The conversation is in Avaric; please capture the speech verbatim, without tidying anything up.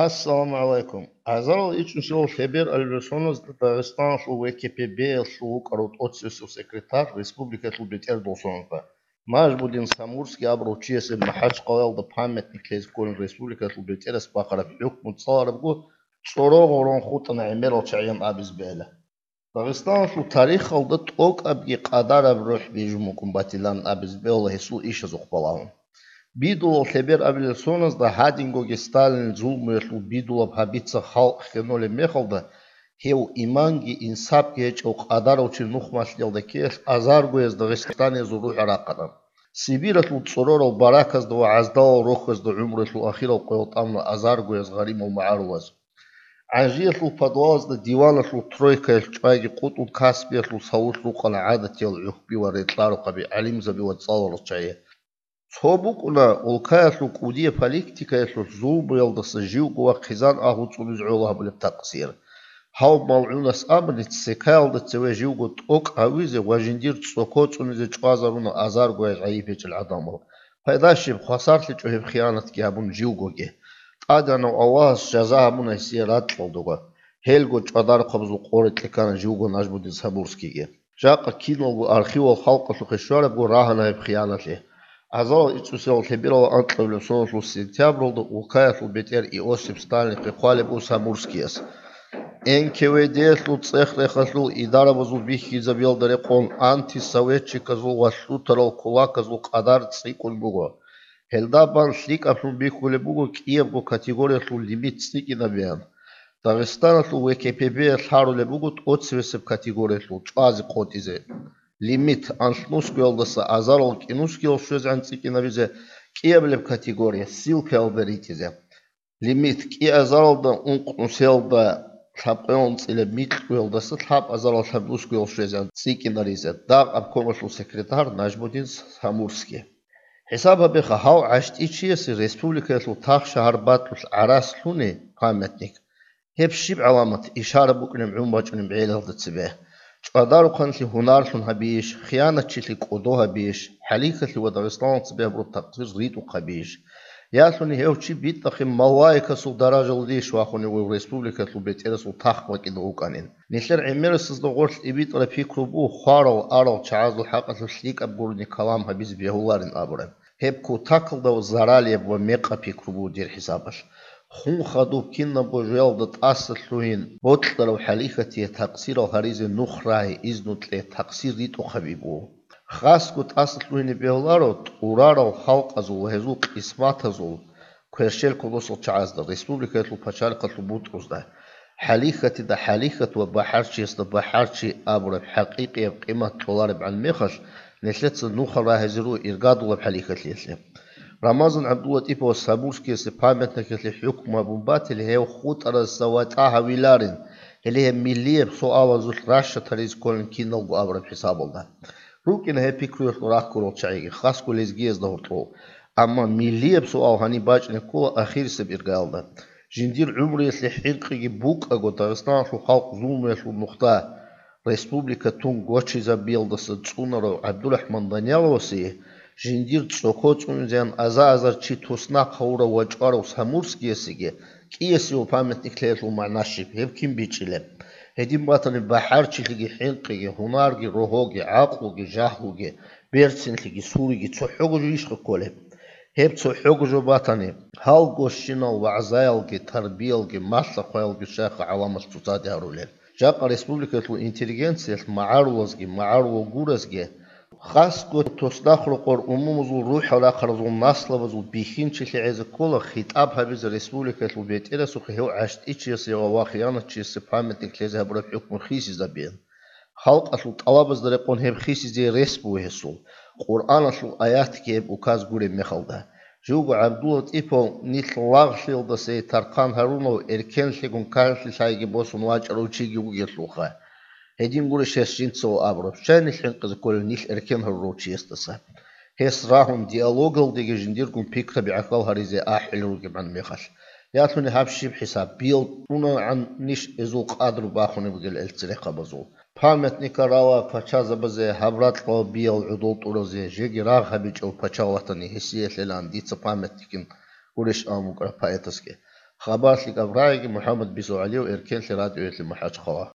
Ассаламу гӀалайкум. Азарал ичӀнусилал лъебералел соназда Дагъистаналъул В К П Б-ялъул вукӀарав тӀоцевесев секретарь республикалъул бетӀералда соназда Нажмудин Самурский абурав чиясе МахӀачхъалаялда памятник лъезе кколин республикалъул бетӀерас бахъараб хӀукму цӀаларабго цӀорогъорон хутӀана гӀемерал чагӀиян абизе бегьила. Дагъистаналъул тарихалда тӀокӀабги къадараб рухӀ бижун букӀун батилан абизе бегьула гьесул ишазухъ балагьун. Бидулал лъеберабилел соназда гьадингоги Сталинил зулмуялъул бидулаб гьабица халкъ хьенолеб мехалда, гьев иманги инсапги гьечӀев къадарав чи нухмалъиялда ккеялъ азаргояз дагъистаниязул рухӀ рахъана. Сибиралъул цӀорорал бараказда ва гӀаздалал рохьазда гӀумруялъул ахирал къоял тӀамуна азаргояз гъаримал магӀарулаз. ГӀанжиялъул подвалазда диваналъул тройкаялъ чӀвайги къутӀун Каспиялъул савулъ рукъана гӀадатиял гӀухьби ва рекьарухъаби, гӀалимзаби ва цӀаларал чагӀи. Цо букӀуна улкаялъул кӀудияб политикаялъулъ зулмуялдаса живго ва хъизан агьлу цӀунизе гӀоло гьабулеб такъсир. Гьав малгӀунас абуни, ццекаялда цеве живго тӀокӀ гьавизе ва жиндир цӀоко цӀунизе чӀвазаруна азаргояз гӀайиб гьечӀел гӀадамал. Пайда щиб, хвасарлъичӀо гьеб хиянатги гьабун живгоги. ТӀадегӀанав Аллагьас жаза гьабуна гьесие ракьалдаго. Гьелго чӀвадарухъабазул къо рекье ккана живго Нажмудин Самурскийги. Жакъа киналго архивал халкъалъухъе щварабго рагьана гьеб хиянатлъи. Азарал ичӀнусилал лъеберал анкьабилеб соналъул сентябралда улкаялъул бетӀер Иосиф Сталинихъе хъвалеб буго Самурскияс. Н К В Д-ялъул цӀех-рехалъул идарабазул бихьизабиялда рекъон антисоветчиказул ва лъутарал кулаказул къадар цӀикӀкӀун буго. Гьелда бан лъикӀаблъун бихьулеб буго кӀиябго категориялъул лимит цӀикӀкӀинабеян. Дагъистаналъул В К П Б-ялъ гьарулеб буго тӀоцевесеб категориялъул чӀвазе къотӀизе. Лимит: анлънусгоялдаса азарал кӀинусгоял щвезегӀан цӀикӀкӀинабизе, кӀиабилеб категория: ссылкаялда ритӀизе. Лимит: кӀиазаралда ункънусиялда лъабкъоялда анцӀила микьгоялдаса лъабазарал лъабнусгоял щвезегӀан цӀикӀкӀинаризе. Дагъ обкомалъул секретарь Нажмудин Самурский. ХӀисаб гьабеха, гьав гӀащтӀи чиясе республикаялъул тахшагьар батӀулъ гӀарац лъуни памятник. Гьеб щиб гӀаламат, ишара букӀунеб гӀун бачӀунеб гӀелалда цебе? ЧӀвадарухъанлъи гьунарлъун гьабийищ, хиянатчилъи кӀодо гьабийищ, хӀалихьалъи ва Дагъистаналда цебе гьабураб такъсир ритӀухъ гьабийищ? Ялъуни гьев чи битӀахъе малаикасул даражалдейищ вахунев гьев республикалъул бетӀерасул тахт бакӀида вукӀанин? Нилъер гӀемерисезда гъорлъ тӀибитӀараб пикру буго хварал-арал чагӀазул хӀакъалъулъ лъикӀаб гурони калам гьабизе бегьуларин абураб. Гьеб кутакалда заралияб ва мекъаб пикру буго дир хӀисабалъ. Хун хадуб кинабго жоялда тӀаса лъугьин бокьарав хӀалихьатие такъсирал гьаризе нух рагьи, изну кье, такъсир ритӀухъаби буго. Хасго тӀаса лъугьине бегьуларо тӀурарал халкъазул ва гьезул къисматазул кверщел кодосал чагӀазда, республикаялъул пачалихъалъул бутӀрузда. ХӀалихьатида хӀалихьат ва бахӀарчиясда бахӀарчи абураб хӀакъикъияб къимат кьоларебгӀан мехалъ, нилъеца нухал рагьизе руго иргадулаб хӀалихьалъиялъе. Рамазан ГӀабдуллатӀиповас Самурскиясе памятникалъе хӀукму гьабун батили, гьев хутӀаразда ватӀа гьавиларин, гьеле гьеб миллияб суалазулъ ращад гьаризе кколин киналго абураб хӀисабалда. РукӀина гьеб пикруялъул рахъ гурал чагӀиги, хасго лезгиязда гьоркьов. Амма миллияб суал гьаниб бачӀине ккола ахирисеб иргаялда. Жиндир гӀумруялъе хӀинкъиги букӀаго Дагъистаналъул халкъ зулмуялъул нухда, республика тун гочизабиялдаса цӀунарав ГӀабдурахӀман Даниловасе жиндир цӀоко цӀунизеян аза-азар чи туснахъ гьавурав ва чӀварав Самурскиясеги кӀиясев памятник лъеялъул магӀна щиб, гьеб кин бичӀчӀилеб? Гьедин батани, бахӀарчилъиги хӀинкъиги, гьунарги, рогьоги, гӀакълуги, жагьлуги, берцинлъиги, суриги цохӀого жо ишха кколеб? Гьеб цохӀого жо батани, гьалгощинал вагӀзаялги, тарбиялги, малъа-хъваялги щайха гӀаламалъ цоцаде гьарулел. Жакъа республикаялъул интеллигенциялъ магӀарулазги, магӀарулал гуразги, хасго туснахъ рокъор умумузул рухӀал рахъаразул наслабазул бихьинчилъи гӀезе ккола хитӀаб гьабизе республикаялъул бетӀерасухъе гьев гӀащтӀичиясе ва хиянатчиясе памятник лъезе гьабураб хӀукму хисизабизе. Халкъалъул тӀалабазда рекъон гьеб хисизе рес буго гьесул, Къуръаналъул аятги гьеб указ гуреб мехалда. Живго ГӀабдуллатӀипов нилъ лагълъиялдаса тархъан гьарунав, эркенлъигун канлъи лъайги босун вачӀарав чиги вугелъулха. Гьедин гурищ гьес жинцаго абураб, щай нилъ хӀинкъизе кколев нилъ эркен гьарурав чиясдаса? Гьес рагьун диалогалдеги жиндиргун пикраби гӀахьал гьаризе ахӀулел ругебгӀан мехалъ. Ялъуни гьаб щиб хӀисаб, биял тӀунагӀан ниш эзул къадру бахунеб бугел эл церехъабазул? Памятника рала пачазабазе, гьаб ракьалда биял гӀодол тӀуразе, жеги рагъ гьабичӀев пачал ватани гьесие лъелаан дица памятникин гурищ абун букӀараб поэтасги. Хабар лъикӀаб рагӀиги МухӀаммад бицун гӀолев эркенлъи радиоялъе мухӀканлъи хъвала.